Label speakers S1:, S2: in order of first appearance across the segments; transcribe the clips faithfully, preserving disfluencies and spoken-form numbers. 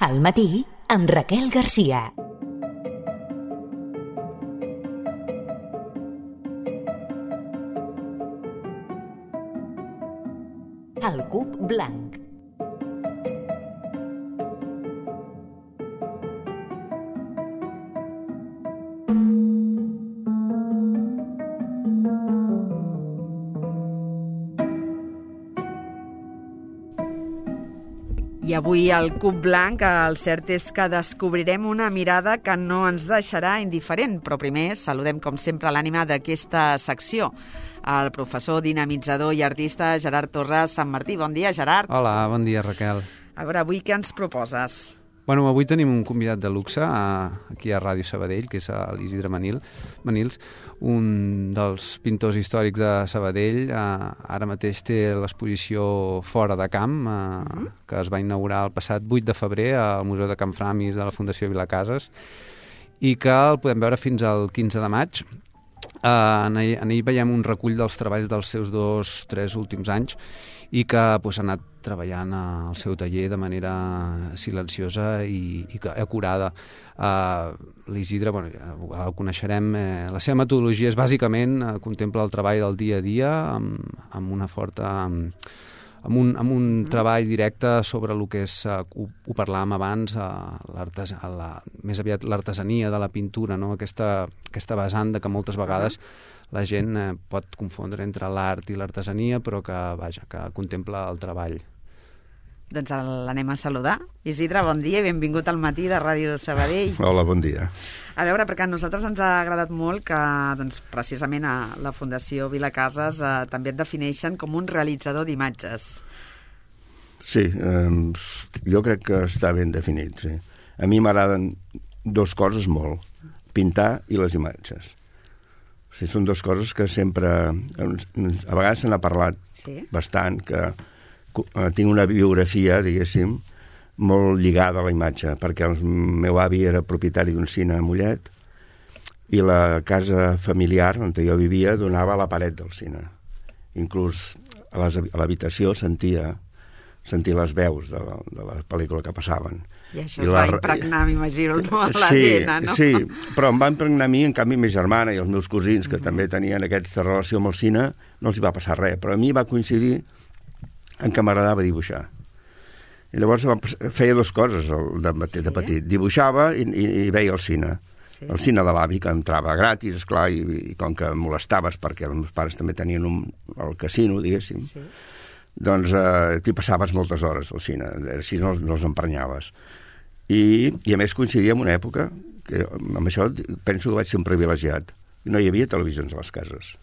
S1: Al matí, amb Raquel Garcia. El cub blanc.
S2: I avui al Cub Blanc el cert és que descobrirem una mirada que no ens deixarà indiferent, però primer saludem com sempre l'ànima d'aquesta secció, el professor dinamitzador i artista Gerard Torres Sant Martí. Bon dia, Gerard.
S3: Hola, bon dia, Raquel.
S2: A veure, avui què ens proposes?
S3: Bueno, avui tenim un convidat de luxe a, aquí a Ràdio Sabadell, que és l'Isidre Manil, Manils, un dels pintors històrics de Sabadell. Eh, ara mateix té l'exposició Fora de Camp, eh, uh-huh. que es va inaugurar el passat vuit de febrer al Museu de Can Framis de la Fundació Vilacases i que el podem veure fins al quinze de maig. Eh, en, ell, en ell veiem un recull dels treballs dels seus dos, tres últims anys i que pues, ha anat treballant al seu taller de manera silenciosa i, i acurada. Uh, L'Isidre, bueno, ja el coneixerem, eh, la seva metodologia és bàsicament eh, contempla el treball del dia a dia amb, amb una forta... Amb, amb un, amb un mm. treball directe sobre el que és, uh, ho, ho parlàvem abans, uh, la, més aviat l'artesania de la pintura, no? aquesta, aquesta vessant de que moltes vegades la gent eh, pot confondre entre l'art i l'artesania, però que, vaja, que contempla el treball.
S2: Doncs l'anem a saludar. Isidre, bon dia i benvingut al matí de Ràdio Sabadell.
S4: Hola, bon dia.
S2: A veure, perquè a nosaltres ens ha agradat molt que doncs, precisament a la Fundació Vilacases eh, també et defineixen com un realitzador d'imatges.
S4: Sí, eh, jo crec que està ben definit, sí. A mi m'agraden dues coses molt, pintar i les imatges. O sigui, són dues coses que sempre... A vegades se n'ha parlat sí? bastant, que tinc una biografia, diguéssim, molt lligada a la imatge, perquè el meu avi era propietari d'un cine a Mollet i la casa familiar on jo vivia donava a la paret del cine. Inclús a l'habitació sentia, sentia les veus de la, de la pel·lícula que passaven.
S2: I això I es la... va impregnar, m'imagino, no? a l'A D N, no?
S4: Sí, però em va impregnar a mi, en canvi, ma germana i els meus cosins, que uh-huh. també tenien aquesta relació amb el cine, no els hi va passar res, però a mi va coincidir en què m'agradava dibuixar. I llavors feia dues coses de, de petit. Sí? Dibuixava i, i, i veia el cine. Sí. El cine de l'avi, que entrava gratis, esclar, i, i com que molestaves, perquè els meus pares també tenien un, el casino, diguéssim, sí. doncs eh, t'hi passaves moltes hores al cine, així no, no els emprenyaves. I, I a més coincidia en una època, que amb això penso que vaig ser un privilegiat. No hi havia televisions a les cases.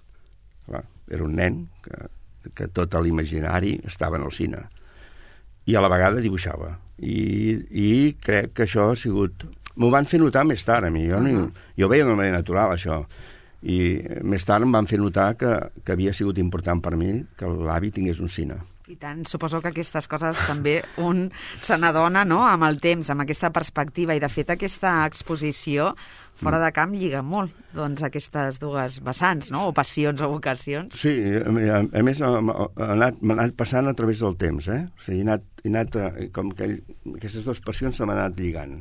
S4: Clar, era un nen que... que tot l'imaginari estava en el cine i a la vegada dibuixava i, i crec que això ha sigut m'ho van fer notar més tard a mi jo, no, jo ho veia d'una manera natural això i més tard em van fer notar que, que havia sigut important per mi que l'avi tingués un cine.
S2: I tant, suposo que aquestes coses també un se n'adona, no?, amb el temps, amb aquesta perspectiva, i de fet aquesta exposició Fora de Camp lliga molt, doncs, aquestes dues vessants, no?, o passions o vocacions.
S4: Sí, a, a més m'ha anat, anat passant a través del temps, eh? O sigui, he anat, he anat com que aquestes dues passions se m'han anat lligant,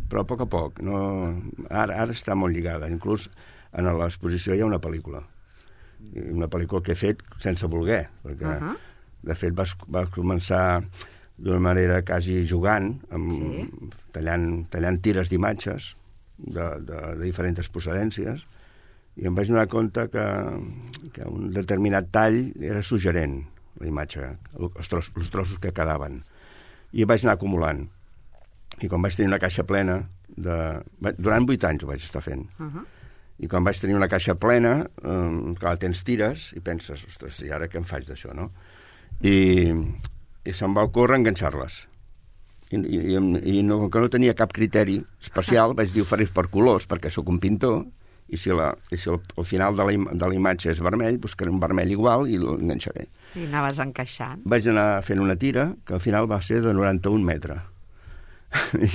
S4: però a poc a poc, no... ara, ara està molt lligada, inclús en l'exposició hi ha una pel·lícula, una pel·lícula que he fet sense voler, perquè... Uh-huh. De fet, vas, vas començar d'una manera quasi jugant, amb, sí. tallant, tallant tires d'imatges de, de, de diferents procedències, i em vaig donar compte que, que un determinat tall era suggerent, la imatge, els trossos, els trossos que quedaven. I em vaig anar acumulant. I quan vaig tenir una caixa plena, de, durant vuit anys ho vaig estar fent, uh-huh. i quan vaig tenir una caixa plena, eh, clar, tens tires i penses, ostres, i ara què em faig d'això, no? I, i se'm va ocórrer enganxar-les i, i, i no, que no tenia cap criteri especial vaig dir ho faré per colors perquè sóc un pintor i si, la, i si el, el final de la, de la imatge és vermell buscaré un vermell igual i l'enganxaré.
S2: I anaves encaixant.
S4: Vaig anar fent una tira que al final va ser de noranta-un metres.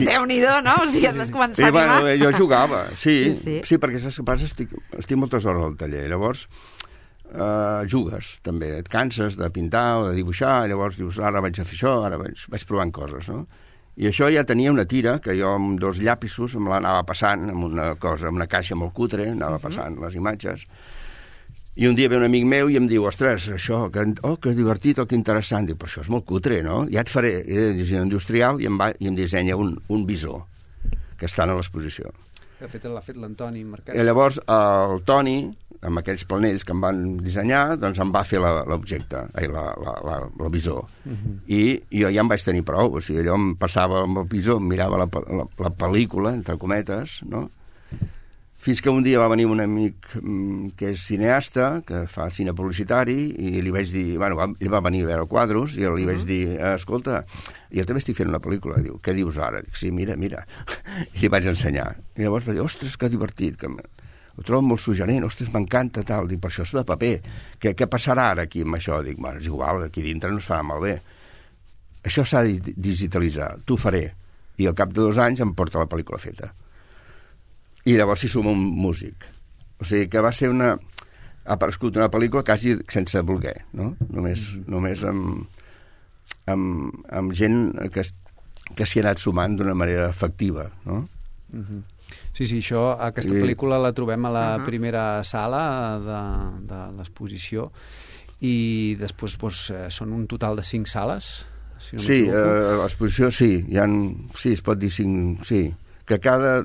S2: Déu-n'hi-do, no? O sigui, has començat a
S4: animar. Bueno, jo jugava, sí, sí, sí. sí perquè saps què passa? Estic, estic moltes hores al taller, llavors Uh, jugues, també, et canses de pintar o de dibuixar, i llavors dius, ara vaig a fer això, ara vaig, vaig provant coses, no? I això ja tenia una tira que jo amb dos llapisos me l'anava passant amb una cosa, amb una caixa molt cutre, anava passant les imatges. I un dia ve un amic meu i em diu, ostres, això, que, oh, que divertit, oh, que interessant. Dic, però això és molt cutre, no? Ja et faré eh, disseny industrial i em, va, i em dissenya un, un bisó que està a l'exposició.
S3: De fet, l'ha fet l'Antoni Marquès.
S4: I llavors el Toni, amb aquells planells que em van dissenyar, doncs em va fer l'objecte, la, la, la, la bisó. Uh-huh. I, I jo ja em vaig tenir prou. O sigui, allò em passava amb el bisó, em mirava la, la, la pel·lícula, entre cometes, no? Fins que un dia va venir un amic que és cineasta, que fa cine publicitari, i li vaig dir, bueno, va, ell va venir a veure quadros, i li uh-huh. vaig dir, escolta, jo també estic fent una pel·lícula. Diu, què dius ara? Dic, sí, mira, mira. I li vaig ensenyar. I llavors va dir, ostres, que divertit, que ho trobo molt suggerent, ostres, m'encanta, tal. Dic, per això és de paper. Què, què passarà ara aquí amb això? Dic, bueno, és igual, aquí dintre no es farà malbé. Això s'ha de digitalitzar, t'ho faré. I al cap de dos anys em porta la pel·lícula feta. I llavors s'hi suma un músic. O sigui que va ser una... Ha aparegut una pel·lícula quasi sense voler, no? Només, mm-hmm. només amb, amb, amb gent que, que s'hi ha anat sumant d'una manera efectiva, no?
S3: Mm-hmm. Sí, sí, això, aquesta
S4: I...
S3: pel·lícula la trobem a la
S2: uh-huh.
S3: primera sala de, de l'exposició i després doncs, són un total de cinc sales, si no
S4: sí,
S3: m'equivoco.
S4: eh, l'exposició sí, hi ha, sí, es pot dir cinc, sí, que cada...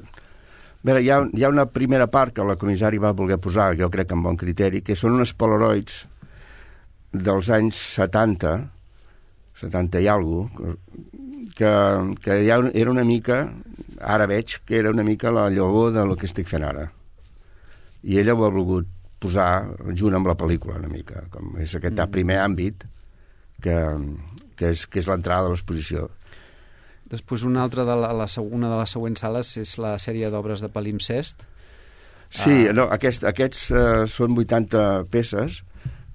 S4: A veure, hi ha, hi ha una primera part que la comissari va voler posar, jo crec que amb bon criteri, que són unes polaroids dels anys setanta, setanta i alguna cosa, que, que ja era una mica, ara veig que era una mica la llavor del que estic fent ara. I ella ho ha volgut posar junt amb la pel·lícula una mica, com és aquest mm. primer àmbit que, que és, que és l'entrada de l'exposició.
S3: Després una altra de la, la, una de les següents sales és la sèrie d'obres de palimpsest.
S4: Sí,
S3: ah.
S4: no, aquest, aquests uh, són vuitanta peces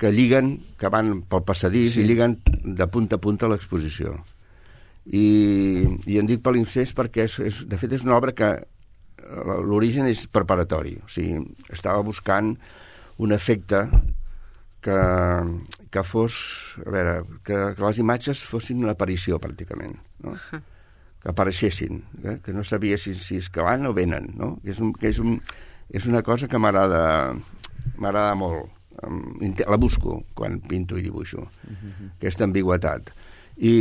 S4: que lliguen, que van pel passadís sí. i lliguen de punta a punta a l'exposició. I, i en dic palimpsest perquè és, és, de fet és una obra que l'origen és preparatori. O sigui, estava buscant un efecte que, que fos, a veure, que, que les imatges fossin una aparició pràcticament, no? Que apareixessin, eh? Que no sabia si, si és que van o venen, no? Que és, un, que és, un, és una cosa que m'agrada m'agrada molt. La busco quan pinto i dibuixo, uh-huh. aquesta ambigüetat. I,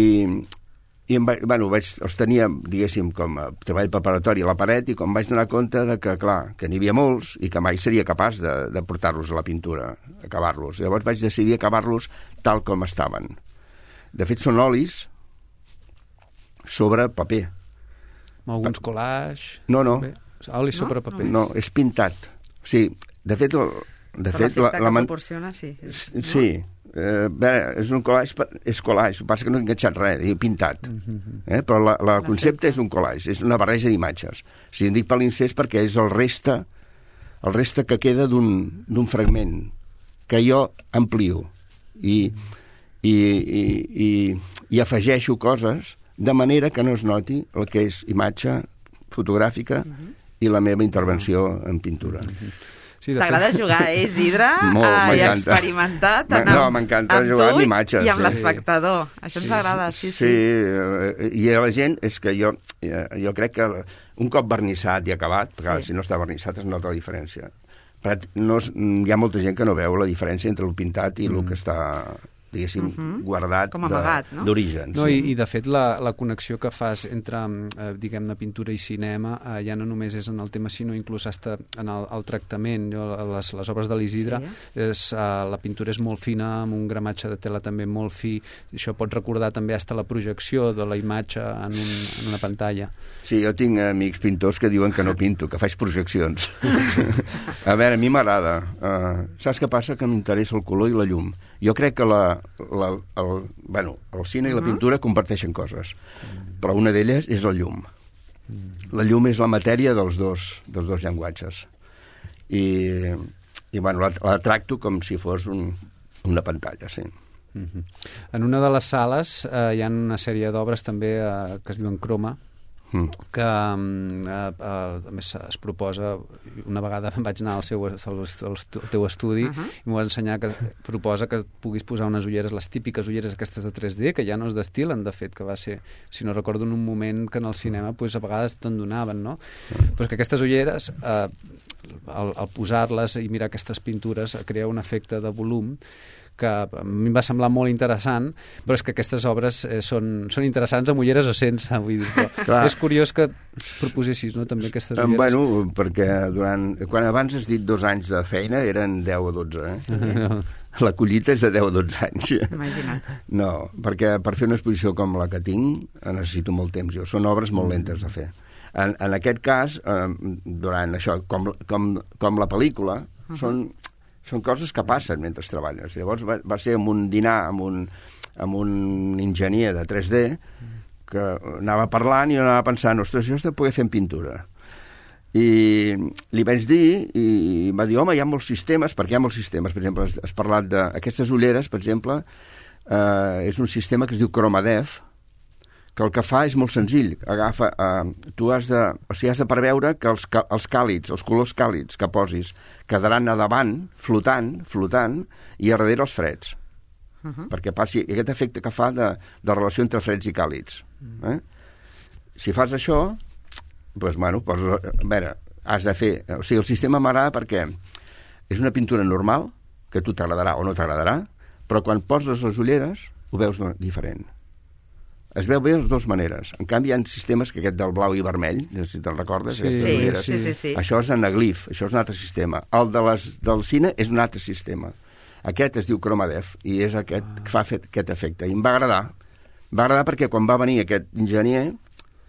S4: i em va, bueno, vaig, els tenia, diguéssim, com a treball preparatori a la paret i com vaig donar compte de que, clar, que n'hi havia molts i que mai seria capaç de, de portar-los a la pintura, acabar-los. Llavors vaig decidir acabar-los tal com estaven. De fet, són olis sobre paper.
S3: Amb alguns collage...
S4: No, no.
S3: Oli sobre paper.
S4: No, és pintat. O sigui, de fet... De
S2: Però
S4: fet, la,
S2: que
S4: la man...
S2: proporciona, sí. És,
S4: no? Sí. Eh, bé, és un collage, és collage, el que passa que no he enganxat res, he pintat. Uh-huh. Eh? Però la, la concepte és un collage, és una barreja d'imatges. O sigui, en dic palimpsest perquè és el reste, el reste que queda d'un fragment que jo amplio i, i, i, i, i afegeixo coses de manera que no es noti el que és imatge fotogràfica uh-huh. i la meva intervenció en pintura. Uh-huh.
S2: Sí, t'agrada fet... jugar, eh, Isidre?
S4: Molt,
S2: I experimentar tant amb,
S4: no, m'encanta jugar amb imatges.
S2: I amb
S4: sí.
S2: l'espectador. Això ens agrada, sí, sí.
S4: Sí, i a la gent és que jo, jo crec que un cop vernissat i acabat, perquè sí. si no està vernissat es nota la diferència. Però no, hi ha molta gent que no veu la diferència entre el pintat i mm. el que està... diguéssim, uh-huh. guardat d'origen.
S3: No? No, sí. I, I, de fet, la, la connexió que fas entre, eh, diguem-ne, pintura i cinema eh, ja no només és en el tema, sinó inclús hasta en el, el tractament. Jo, les, les obres de l'Isidre, sí. és, eh, la pintura és molt fina, amb un gramatge de tela també molt fi. Això pot recordar també hasta la projecció de la imatge en, un, en una pantalla.
S4: Sí, jo tinc amics pintors que diuen que no pinto, que faig projeccions. A veure, a mi m'agrada. Uh, saps què passa? Que m'interessa el color i la llum. Jo crec que la, la, el, bueno, el cine uh-huh. i la pintura comparteixen coses, mm. però una d'elles és la llum. Mm. La llum és la matèria dels dos, dels dos llenguatges. I, i bueno, la, la tracto com si fos un, una pantalla, sí.
S3: Mm-hmm. En una de les sales eh, hi ha una sèrie d'obres també eh, que es diuen Croma. mm. que eh, a més es proposa, una vegada vaig anar al, seu, al, al teu estudi uh -huh. i m'ho va ensenyar que proposa que puguis posar unes ulleres, les típiques ulleres aquestes de tres D, que ja no es destil·len, de fet, que va ser, si no recordo, en un moment que en el cinema pues, a vegades te'n donaven, no? Però és que aquestes ulleres, eh, al, al posar-les i mirar aquestes pintures, crea un efecte de volum que a mi em va semblar molt interessant, però és que aquestes obres eh, són, són interessants amb ulleres o sense, vull dir, però és curiós que proposessis, no?, també aquestes ulleres.
S4: Bueno, perquè durant, quan abans has dit dos anys de feina eren deu o dotze, eh? No. La collita és de deu o dotze anys.
S2: Imagina't.
S4: No, perquè per fer una exposició com la que tinc necessito molt temps jo, són obres molt lentes de fer. En, en aquest cas, eh, durant això, com, com, com la pel·lícula, uh -huh. són són coses que passen mentre treballes. Llavors va, va ser amb un dinar amb un, amb un enginyer de tres D que anava parlant i jo anava pensant, ostres, això has de poder fer en pintura. I li vaig dir, i va dir, home, hi ha molts sistemes, perquè hi ha molts sistemes. Per exemple, has, has parlat d'aquestes ulleres, per exemple, eh, és un sistema que es diu ChromaDepth, que el que fa és molt senzill. Agafa, eh, tu has de, o sigui, has de preveure que els, els càlids, els colors càlids que posis quedaran a davant, flotant, flotant, i a darrere els freds. Uh -huh. Perquè passi aquest efecte que fa de, de relació entre freds i càlids. Eh? Si fas això, doncs, bueno, poses, a veure, has de fer... O sigui, el sistema m'agrada perquè és una pintura normal, que a tu t'agradarà o no t'agradarà, però quan poses les ulleres ho veus diferent. Es veu bé de les dues maneres. En canvi, hi ha sistemes que aquest del blau i vermell, no sé si te'n recordes,
S2: sí, sí, sí, sí, sí.
S4: Això és anaglif, això és un altre sistema. El de les, del cine és un altre sistema. Aquest es diu ChromaDepth i és aquest ah. que fa fet, aquest efecte. I em va agradar. Em va agradar perquè quan va venir aquest enginyer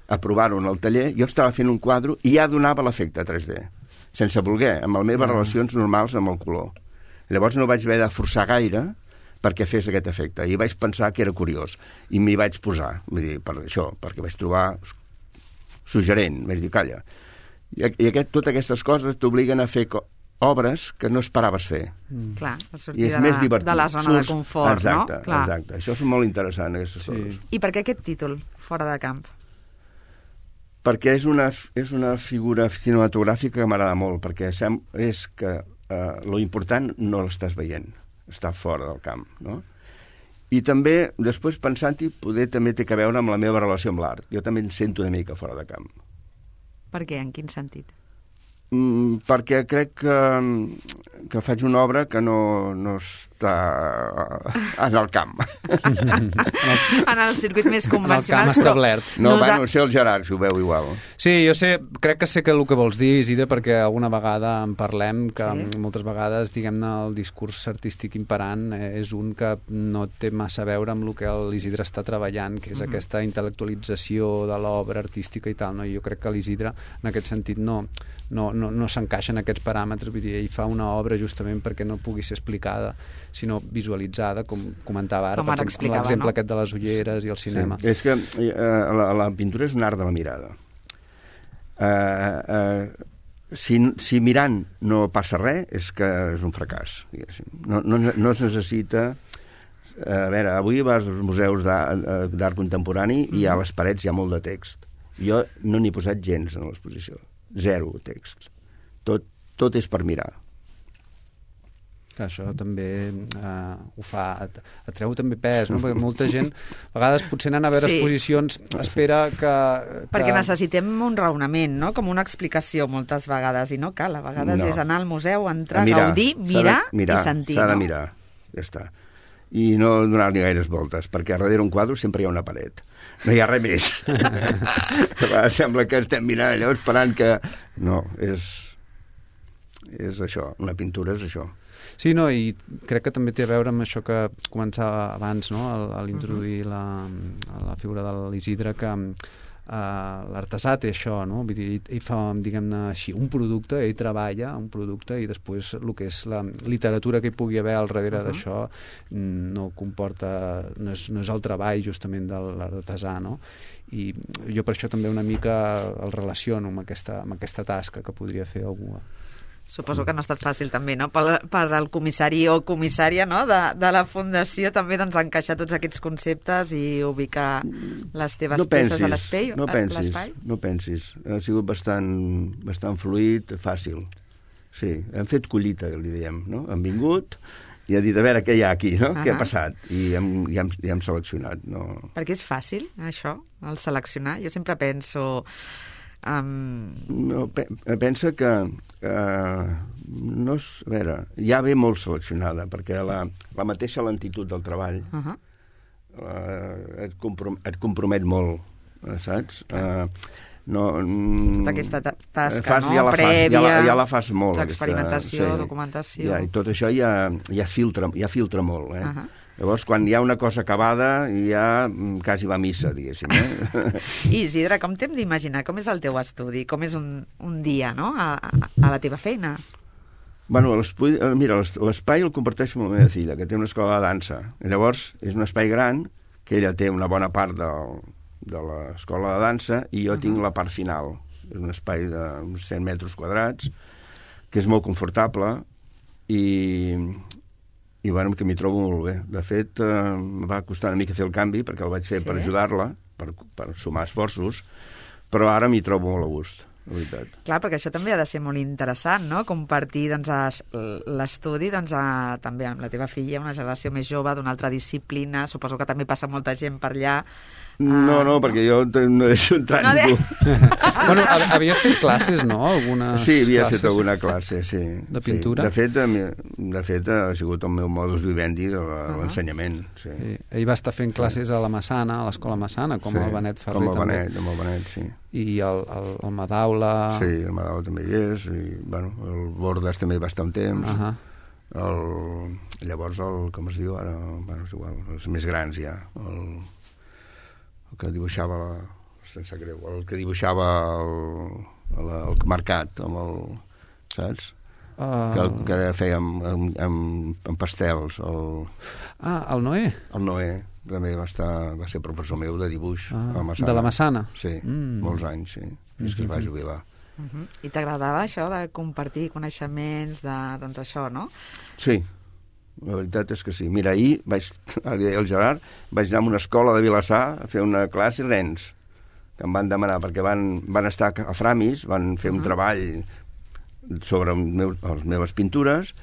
S4: a provar-ho en el taller, jo estava fent un quadre i ja donava l'efecte tres D, sense voler, amb les meves ah. relacions normals amb el color. Llavors no vaig haver de forçar gaire perquè fes aquest efecte. I vaig pensar que era curiós. I m'hi vaig posar, vull dir, per això, perquè vaig trobar suggerent. Vaig dir, calla. I, i aquest, totes aquestes coses t'obliguen a fer obres que no esperaves fer.
S2: Mm. Clar, a sortir de la, de la zona Surts, de confort,
S4: exacte,
S2: no? Clar.
S4: Exacte, això és molt interessant, aquestes sí. coses.
S2: I per què aquest títol, Fora de camp?
S4: Perquè és una, és una figura cinematogràfica que m'agrada molt, perquè sem, és que eh, lo important no l'estàs veient, està fora del camp, no? I també, després pensant-hi, poder també té a veure amb la meva relació amb l'art. Jo també em sento una mica fora de camp.
S2: Per què? En quin sentit?
S4: Mm, perquè crec que, que faig una obra que no, no està en el camp.
S2: En el circuit més convencional.
S3: En el camp establert.
S4: No, Nosa... bueno, sé el Gerard, si ho veu igual.
S3: Sí, jo sé, crec que sé que el que vols dir, Isidre, perquè alguna vegada en parlem, que sí? moltes vegades, diguem-ne, el discurs artístic imperant és un que no té massa a veure amb el que l'Isidre està treballant, que és mm-hmm. aquesta intel·lectualització de l'obra artística i tal, no? I jo crec que l'Isidre, en aquest sentit, no... no, no, no s'encaixa en aquests paràmetres, vull dir, ell fa una obra justament perquè no pugui ser explicada, sinó visualitzada, com comentava ara,
S2: com ara
S3: per l'exemple
S2: no?
S3: aquest de les ulleres i el cinema.
S4: Sí, és que eh, la, la pintura és un art de la mirada. Eh, eh, si, si mirant no passa res, és que és un fracàs, diguéssim. No, no, no es necessita... A veure, avui vas als museus d'art contemporani mm. i a les parets hi ha molt de text. Jo no n'he posat gens en l'exposició. Zero text. Tot, tot és per mirar.
S3: Que això també eh, ho fa, atreu també pes, no? Perquè molta gent, a vegades potser anant a veure sí. exposicions espera que, que...
S2: Perquè necessitem un raonament, no? Com una explicació moltes vegades, i no cal, a vegades no. és anar al museu, entrar, mirar, gaudir, mirar, mirar i sentir.
S4: S'ha de
S2: no?
S4: mirar, ja està. I no donar-li gaires voltes, perquè darrere un quadre sempre hi ha una paret. No hi ha res més. Sembla que estem mirant allò esperant que... No, és... és això. Una pintura és això.
S3: Sí, no, i crec que també té a veure amb això que començava abans, no?, a l'introduir la, la figura de l'Isidre, que uh, l'artesà té això, no? Vull dir, ell fa, diguem-ne així, un producte, ell treballa un producte i després el que és la literatura que hi pugui haver al darrere uh -huh. d'això no comporta, no és, no és el treball justament de l'artesà, no? I jo per això també una mica el relaciono amb aquesta, amb aquesta tasca que podria fer algú.
S2: Suposo que no ha estat fàcil també, no? Per, per al comissari o comissària, no? de, de la Fundació també doncs, encaixar tots aquests conceptes i ubicar les teves
S4: no pensis,
S2: peces a l'espai.
S4: No pensis, no pensis. Ha sigut bastant, bastant fluid, fàcil. Sí, hem fet collita, li diem, no? Hem vingut i ha dit, a veure, què hi ha aquí, no? Uh-huh. Què ha passat? I hem, ja, hem, ja hem seleccionat. No?
S2: Perquè és fàcil, això, el seleccionar. Jo sempre penso... Um...
S4: No, pe pensa que uh, no és, a veure, ja ve molt seleccionada perquè la, la mateixa lentitud del treball uh-huh. uh, et, comprom et compromet molt, saps? Uh, no,
S2: tota aquesta tasca
S4: fas,
S2: no?
S4: ja la
S2: prèvia,
S4: fas, ja la, ja la fas molt,
S2: l'experimentació,
S4: sí,
S2: documentació,
S4: ja, i tot això ja, ja, filtra, ja filtra molt, eh?
S2: Uh-huh.
S4: Llavors, quan hi ha una cosa acabada, ja quasi va a missa, diguéssim. Eh?
S2: I, Isidre, com t'hem d'imaginar? Com és el teu estudi? Com és un, un dia, no?, a, a, a la teva feina?
S4: Bueno, mira, l'espai el comparteixo amb la meva filla, que té una escola de dansa. I llavors, és un espai gran, que ella té una bona part del, de l'escola de dansa, i jo uh-huh. tinc la part final. És un espai d'uns cent metres quadrats, que és molt confortable, i... i bueno, que m'hi trobo molt bé. De fet, eh, em va costar una mica fer el canvi, perquè el vaig fer sí. per ajudar-la, per, per sumar esforços, però ara m'hi trobo molt a gust, la veritat.
S2: Clar, perquè això també ha de ser molt interessant, no?, compartir doncs, l'estudi doncs, a, també amb la teva filla, una generació més jove, d'una altra disciplina, suposo que també passa molta gent per allà.
S4: No, no, perquè jo no deixo entrar
S2: no
S4: ningú.
S2: De...
S3: bueno, havies fet classes, no? Algunes
S4: sí, havia
S3: classes,
S4: fet alguna classe, sí.
S3: De pintura?
S4: Sí. De, fet, de fet, ha sigut el meu modus vivendi de l'ensenyament. Sí.
S3: Sí. Ell va estar fent classes a la Massana, a l'escola Massana, com sí, el Benet Ferrer
S4: com el
S3: també.
S4: Benet, amb el Benet, sí.
S3: I el, el, el Madaula...
S4: Sí, el Madaula també hi és, i bueno, el Bordes també hi va estar un temps. Uh -huh. el, llavors, el, com es diu ara? Bueno, és igual, els més grans ja, el... el que dibuixava la, sense greu, el que dibuixava el, el, el mercat amb el, saps? Uh... Que, que feia amb, amb, amb, amb pastels el...
S3: Ah, el Noé?
S4: El Noé també va, estar, va ser professor meu de dibuix
S3: ah,
S4: a la Massana.
S3: De la Massana?
S4: Sí, mm. molts anys, sí. Mm-hmm. És que es va jubilar.
S2: Uh-huh. I t'agradava això de compartir coneixements de, doncs això, no?
S4: Sí, la veritat és que sí. Mira, ahir vaig, el Gerard, vaig anar a una escola de Vilassar a fer una classe rens, que em van demanar, perquè van, van estar a Framis, van fer un uh-huh. treball sobre meu, les meves pintures,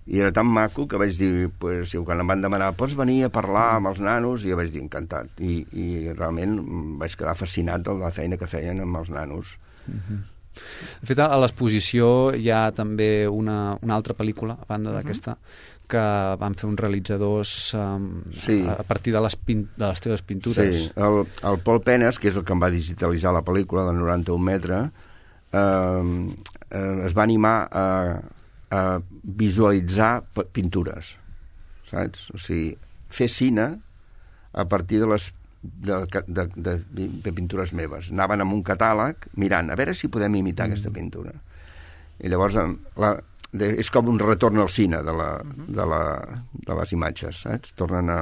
S4: i era tan maco que vaig dir, pues, quan em van demanar, pots venir a parlar amb els nanos? I jo vaig dir, encantat. I, i realment vaig quedar fascinat de la feina que feien amb els nanos.
S3: Uh-huh. De fet, a l'exposició hi ha també una, una altra pel·lícula, a banda d'aquesta, uh-huh. que van fer uns realitzadors um, sí. a, a partir de les, pin de les teves pintures.
S4: Sí, el, el Pol Penes, que és el que em va digitalitzar la pel·lícula de noranta-un metres, eh, eh, es va animar a, a visualitzar pintures, saps? O sigui, fer cine a partir de les De, de, de, de pintures meves. Anaven amb un catàleg mirant, a veure si podem imitar mm. aquesta pintura. I llavors la, de, és com un retorn al cine de, la, de, la, de les imatges, saps? Tornen a...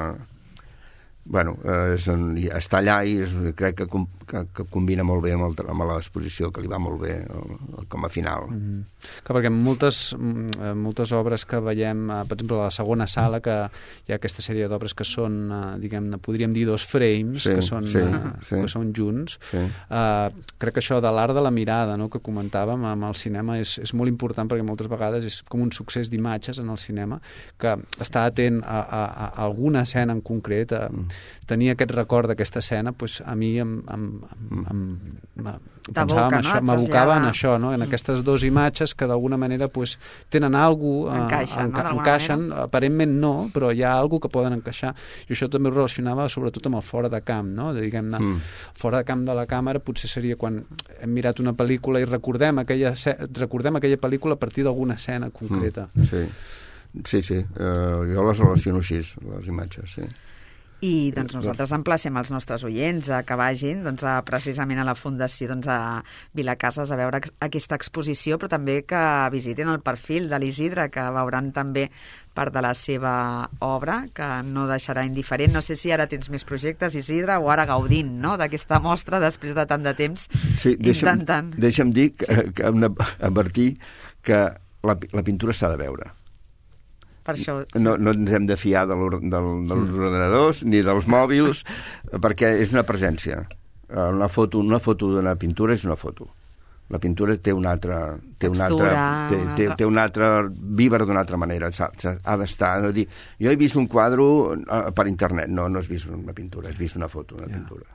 S4: Bueno, és, està allà i és, crec que, que, que combina molt bé amb, el, amb l'exposició, que li va molt bé el, el, com a final.
S3: Mm -hmm. Que perquè moltes, moltes obres que veiem, per exemple, a la segona sala, que hi ha aquesta sèrie d'obres que són, diguem-ne, podríem dir dos frames, sí, que, són,
S4: sí,
S3: uh,
S4: sí.
S3: que són junts.
S4: Sí.
S3: Uh, crec que això de l'art de la mirada, no?, que comentàvem amb el cinema, és, és molt important, perquè moltes vegades és com un succés d'imatges en el cinema, que està atent a, a, a alguna escena en concret, a, mm. tenir aquest record d'aquesta escena, pues, a mi em, em, em, em, em pensava en això, m'abocava en això, no? En aquestes dues imatges que d'alguna manera pues, tenen alguna cosa,
S2: encaixen,
S3: enca
S2: no?
S3: encaixen aparentment no, però hi ha alguna cosa que poden encaixar, i això també ho relacionava sobretot amb el fora de camp, no? De, diguem-ne, mm. fora de camp de la càmera potser seria quan hem mirat una pel·lícula i recordem aquella, recordem aquella pel·lícula a partir d'alguna escena concreta.
S4: Mm. Sí, sí, sí. Uh, jo les relaciono així, les imatges, sí.
S2: I doncs, nosaltres emplacem els nostres oients a que vagin doncs, a, precisament a la Fundació doncs, a Vilacases a veure aquesta exposició, però també que visitin el perfil de l'Isidre, que veuran també part de la seva obra, que no deixarà indiferent. No sé si ara tens més projectes, Isidre, o ara gaudint, no?, d'aquesta mostra després de tant de temps,
S4: sí, deixa'm,
S2: intentant...
S4: Deixa'm dir que, sí. que hem d'advertir que la, la pintura s'ha de veure.
S2: Per això...
S4: No, no ens hem de fiar de l'or, del, dels ordenadors ni dels mòbils, perquè és una presència. Una foto, una foto d'una pintura és una foto. La pintura té una altra... Té
S2: Textura,
S4: una altra, té, té, té una altra... vibra d'una altra manera. Ha, ha d'estar... No dir, jo he vist un quadre per internet. No, no has vist una pintura, has vist una foto, una yeah. pintura.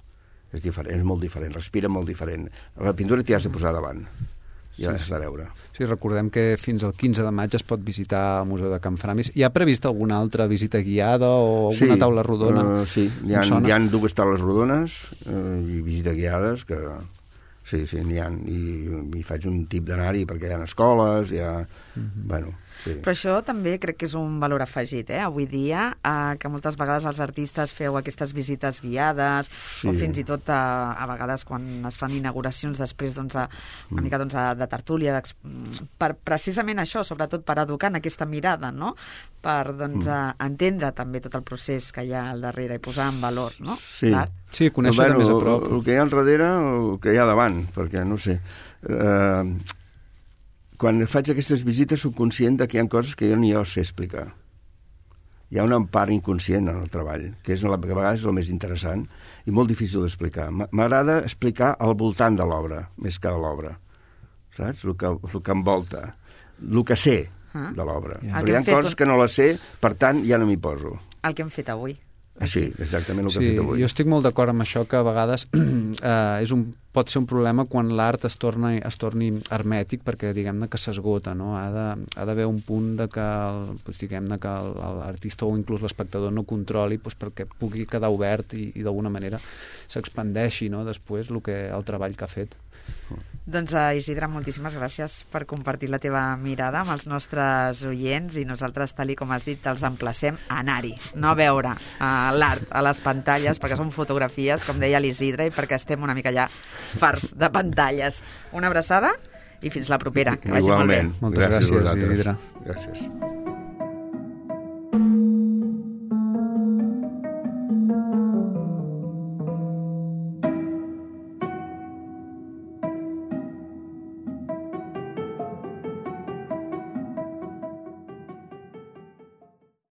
S4: És diferent, és molt diferent, respira molt diferent. La pintura t'hi has de posar davant i l'has de veure.
S3: Sí, recordem que fins al quinze de maig es pot visitar el Museu de Can Framis. Hi ha previst alguna altra visita guiada o alguna
S4: sí,
S3: taula rodona?
S4: Uh, sí, hi ha, hi ha dues taules rodones uh, i visites guiades que... Sí, sí, n'hi ha. I, i faig un tip d'anar-hi perquè hi ha escoles, hi ha... Mm-hmm. Bueno, sí.
S2: Però això també crec que és un valor afegit, eh? Avui dia, eh, que moltes vegades els artistes feu aquestes visites guiades, sí. o fins i tot a, a vegades quan es fan inauguracions després doncs, a, una mica doncs, a, de tertúlia, per precisament això, sobretot per educar en aquesta mirada, no? Per doncs, mm. entendre també tot el procés que hi ha al darrere i posar en valor, no?
S4: Sí.
S2: Clar.
S3: Sí, conèixer bueno, de més a prop.
S4: El, el que hi ha al darrere o el que hi ha davant, perquè no sé... Eh, quan faig aquestes visites soc conscient que hi ha coses que jo ni jo sé explicar. Hi ha una part inconscient en el treball, que és la, que a vegades és el més interessant i molt difícil d'explicar. M'agrada explicar al voltant de l'obra, més que de l'obra. Saps? El que, el que envolta. El que sé ah. de l'obra. Yeah. Però hi ha coses un... que no les sé, per tant, ja no m'hi poso.
S2: El que hem fet avui.
S4: Sí, exactament el que
S3: sí,
S4: hem fet avui.
S3: Jo estic molt d'acord amb això, que a vegades eh, és un, pot ser un problema quan l'art es, torna, es torni hermètic, perquè diguem-ne que s'esgota, no? Ha de, ha d'haver un punt de que, el, doncs, diguem-ne que l'artista o inclús l'espectador no controli doncs, perquè pugui quedar obert i, i d'alguna manera s'expandeixi, no? Després el, que, el treball que ha fet.
S2: Doncs uh, Isidre, moltíssimes gràcies per compartir la teva mirada amb els nostres oients i nosaltres, tal i com has dit, els emplacem a anar-hi, no a veure uh, l'art a les pantalles, perquè són fotografies, com deia l'Isidre, i perquè estem una mica ja farts de pantalles. Una abraçada i fins la propera. Que vagi molt bé.
S3: Moltes gràcies, gràcies Isidre.
S4: Gràcies.